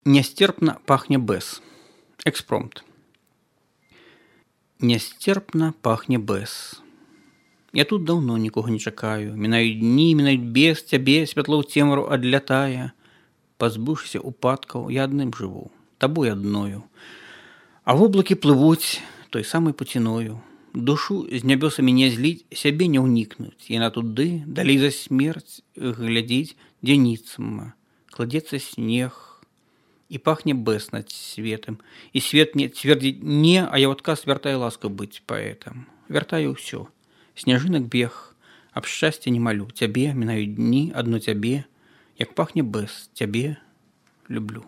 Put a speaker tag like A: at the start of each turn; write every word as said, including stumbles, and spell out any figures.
A: Нястерпна пахне бэз. Экспромт. Нястерпна пахне бэз. Я тут даўно нікога не чакаю. Мінаюць дні, мінаюць без цябе, святло ў цемру адлятае. Пазбыўшыся упадкаў, я адным жыву, табой адною. А воблакі плывуць той самай пуціною. Душу з нябёсамі не зліць, сябе не ўнікнуць. Яна туды, далей за смерць, глядзіць, дзе ніцма. Кладзецца снег, і пахне бэз над светам. І свет мне цвердзіць не, а я ў адказ вяртаю ласку быць паэтам. Вяртаю ўсё. Сняжынак бег, аб шчасце не малю. Цябе мінаюць дні, адно цябе, як пахне бэз, цябе люблю.